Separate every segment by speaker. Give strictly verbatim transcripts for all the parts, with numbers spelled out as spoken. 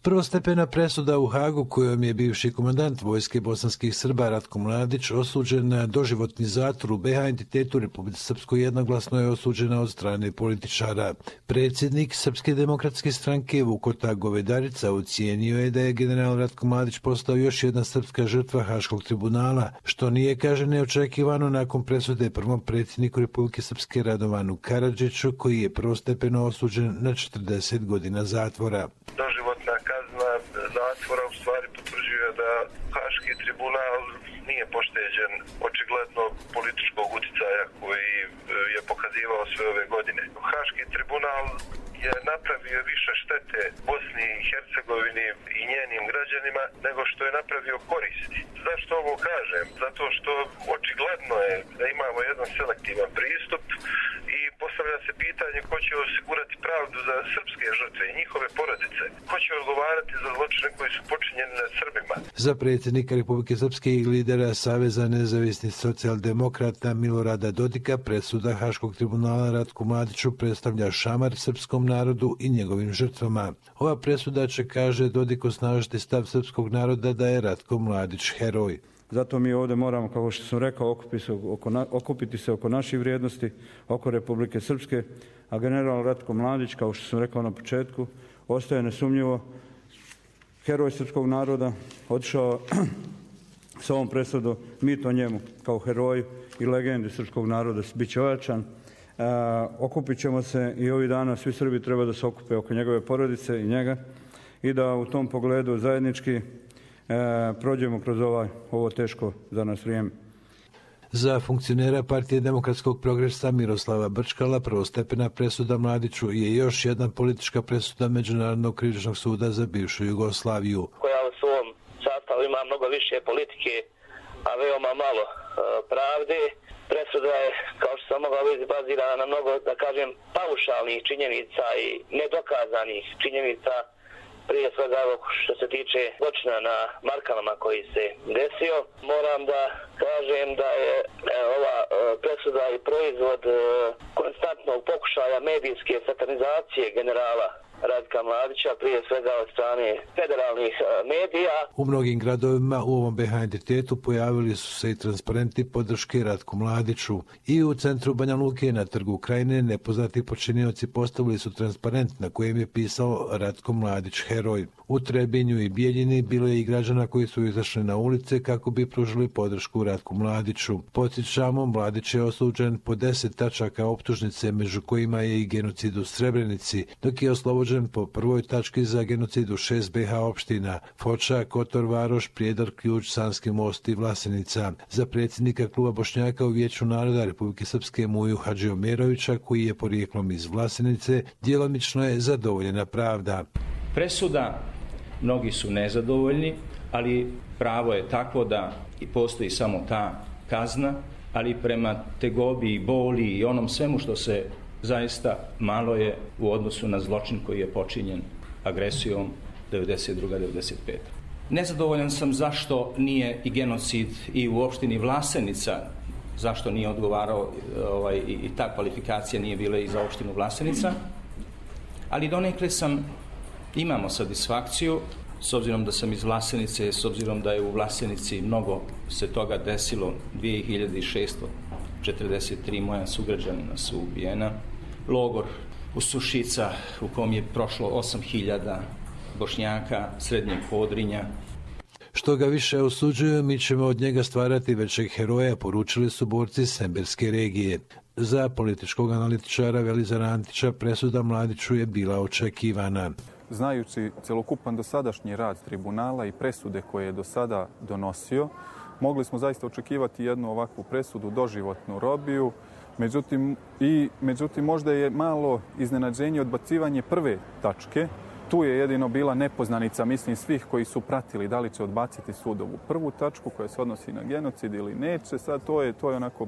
Speaker 1: Prvostepena presuda u Hagu kojom je bivši komandant vojske bosanskih Srba Ratko Mladić osuđen na doživotni zatvor u be ha entitetu Republike Srpskoj jednoglasno je osuđena od strane političara. Predsjednik Srpske demokratske stranke Vukota Govedarica ocijenio je da je general Ratko Mladić postao još jedna srpska žrtva Haškog tribunala, što nije, kaže, neočekivano nakon presude prvom predsjedniku Republike Srpske Radovanu Karadžiću, koji je prvostepeno osuđen na četrdeset godina zatvora.
Speaker 2: Doživotna kazna zatvora u stvari potvrđuje da Haški tribunal nije pošteđen očigledno političkog uticaja koji je pokazivao sve ove godine. Haški tribunal je napravio više štete Bosni i Hercegovini i njenim građanima nego što je napravio koristi. Zašto ovo kažem? Zato što očigledno je da imamo jedan selektivan pristup i postavlja se pitanje ko će osigurati pravdu za srpske žrtve i njihove porodice. Ko će odgovarati za zločine koji su počinjeni nad Srbima?
Speaker 1: Za predsjednika Republike Srpske i lidera Saveza nezavisnih socijaldemokrata Milorada Dodika presuda Haškog tribunala Ratku Mladiću predstavlja šamar srpskom narodu i njegovim žrtvama. Ova presuda će, kaže Dodik, osnažiti stav srpskog naroda da je Ratko Mladić heroj.
Speaker 3: Zato mi ovdje moramo, kao što sam rekao, okupiti se oko, okupiti se oko naših vrijednosti, oko Republike Srpske, a general Ratko Mladić, kao što sam rekao na početku, ostaje nesumnjivo heroj srpskog naroda, otišao s ovom presudom, mi to njemu kao heroju i legendi srpskog naroda bit će ojačan. E, okupit ćemo se i ovih dana svi Srbi treba da se okupe oko njegove porodice i njega i da u tom pogledu zajednički E, prođemo kroz ovaj, ovo teško za nas vrijeme.
Speaker 1: Za funkcionera Partije demokratskog progresa Miroslava Brčkala prvostepena presuda Mladiću je još jedna politička presuda Međunarodnog krivičnog suda za bivšu Jugoslaviju.
Speaker 4: Koja u svom sastavu ima mnogo više politike, a veoma malo e, pravde. Presuda je, kao što sam mogao vidjeti, bazirana na mnogo, da kažem, paušalnih činjenica i nedokazanih činjenica. Prije svega što se tiče zločina na Markanama koji se desio, moram da kažem da je ova presuda i proizvod konstantnog pokušaja medijske satanizacije generala Ratka Mladića, prije svega od strane federalnih medija.
Speaker 1: U mnogim gradovima u ovom be ha entitetu pojavili su se i transparenti podrške Ratku Mladiću. I u centru Banja Luke na trgu Krajine nepoznati počinioci postavili su transparent na kojem je pisao Ratko Mladić heroj. U Trebinju i Bijeljini bilo je i građana koji su izašli na ulice kako bi pružili podršku Ratku Mladiću. Podsjećamo, Mladić je osuđen po deset tačaka optužnice, među kojima je i genocid u Srebrenici, dok je oslobođen po prvoj tački za genocid u šest be ha opština: Foča, Kotor, Varoš, Prijedor, Ključ, Sanski Most i Vlasenica. Za predsjednika kluba Bošnjaka u Vijeću naroda Republike Srpske Muju Hadžiomerovića, koji je porijeklom iz Vlasenice, djelomično je zadovoljena pravda.
Speaker 5: Presuda, mnogi su nezadovoljni, ali pravo je takvo da i postoji samo ta kazna, ali prema tegobi i boli i onom svemu što se zaista malo je u odnosu na zločin koji je počinjen agresijom devedeset druga devedeset peta Nezadovoljan sam zašto nije i genocid i u opštini Vlasenica, zašto nije odgovarao ovaj, i, i ta kvalifikacija nije bila i za opštinu Vlasenica, ali donekle sam, imamo satisfakciju, s obzirom da sam iz Vlasenice, s obzirom da je u Vlasenici mnogo se toga desilo, dvije hiljade šeststo četrdeset tri moja sugrađanina su ubijena. Logor u Sušica u kom je prošlo osam hiljada Bošnjaka srednjeg Podrinja.
Speaker 1: Što ga više osuđuju, mi ćemo od njega stvarati većeg heroja, poručili su borci Semberske regije. Za političkog analitičara Velizara Antića presuda Mladiću je bila očekivana.
Speaker 6: Znajući celokupan dosadašnji rad tribunala i presude koje je do sada donosio, mogli smo zaista očekivati jednu ovakvu presudu, doživotnu robiju. Međutim, i, međutim, možda je malo iznenađenje odbacivanje prve tačke. Tu je jedino bila nepoznanica, mislim, svih koji su pratili da li će odbaciti sudovu prvu tačku koja se odnosi na genocid ili neće. Sad to je, to je onako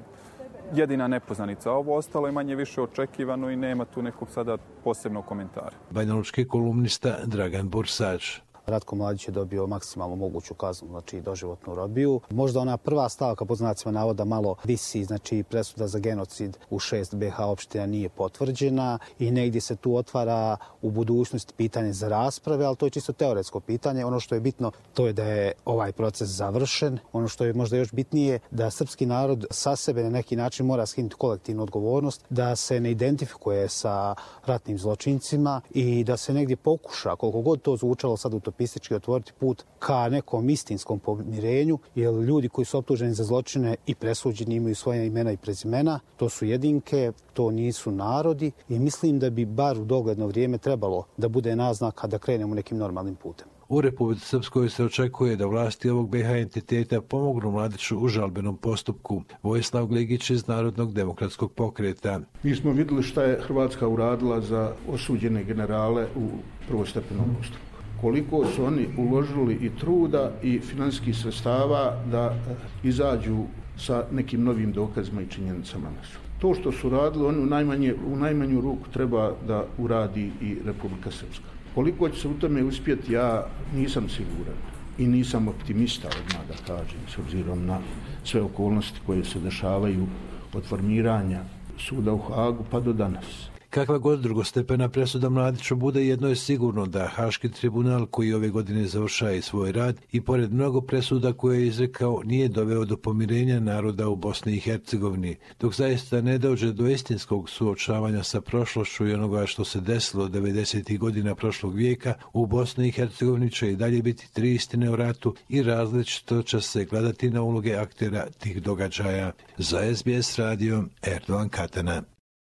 Speaker 6: jedina nepoznanica. Ovo ostalo je manje više očekivano i nema tu nekog sada posebnog komentara.
Speaker 1: Banjalučki kolumnista Dragan Bursač.
Speaker 7: Ratko Mladić je dobio maksimalno moguću kaznu, znači doživotnu robiju. Možda ona prva stavka pod znacima navoda malo visi, znači presuda za genocid u šest be ha opština nije potvrđena i negdje se tu otvara u budućnosti pitanje za rasprave, ali to je čisto teoretsko pitanje. Ono što je bitno to je da je ovaj proces završen. Ono što je možda još bitnije da srpski narod sa sebe na neki način mora skinuti kolektivnu odgovornost, da se ne identifikuje sa ratnim zločincima i da se negdje pokuša, koliko god to zvučalo sad utopistički, otvoriti put ka nekom istinskom pomirenju, jer ljudi koji su optuženi za zločine i presuđeni imaju svoje imena i prezimena, to su jedinke, to nisu narodi i mislim da bi bar u dogledno vrijeme trebalo da bude naznaka da krenemo nekim normalnim putem.
Speaker 1: U Republici Srpskoj se očekuje da vlasti ovog be ha entiteta pomognu Mladiću u žalbenom postupku. Vojislav Gligić iz Narodnog demokratskog pokreta.
Speaker 8: Mi smo vidjeli šta je Hrvatska uradila za osuđene generale u prvostepenom postupku. Koliko su oni uložili i truda i financijskih sredstava da izađu sa nekim novim dokazima i činjenicama na sud. To što su radili, oni u, najmanje, u najmanju ruku treba da uradi i Republika Srpska. Koliko će se u tome uspjeti, ja nisam siguran i nisam optimista, odmah da kažem, s obzirom na sve okolnosti koje se dešavaju od formiranja suda u Hagu pa do danas.
Speaker 1: Kakva god drugostepena presuda Mladiću bude, jedno je sigurno da Haški tribunal koji ove godine završava svoj rad i pored mnogo presuda koje je izrekao nije doveo do pomirenja naroda u Bosni i Hercegovini, dok zaista ne dođe do istinskog suočavanja sa prošlošću i onoga što se desilo devedesetih godina prošlog vijeka, u Bosni i Hercegovini će i dalje biti tri istine o ratu i različito će se gledati na uloge aktera tih događaja. Za es be es radio, Erdogan Katana.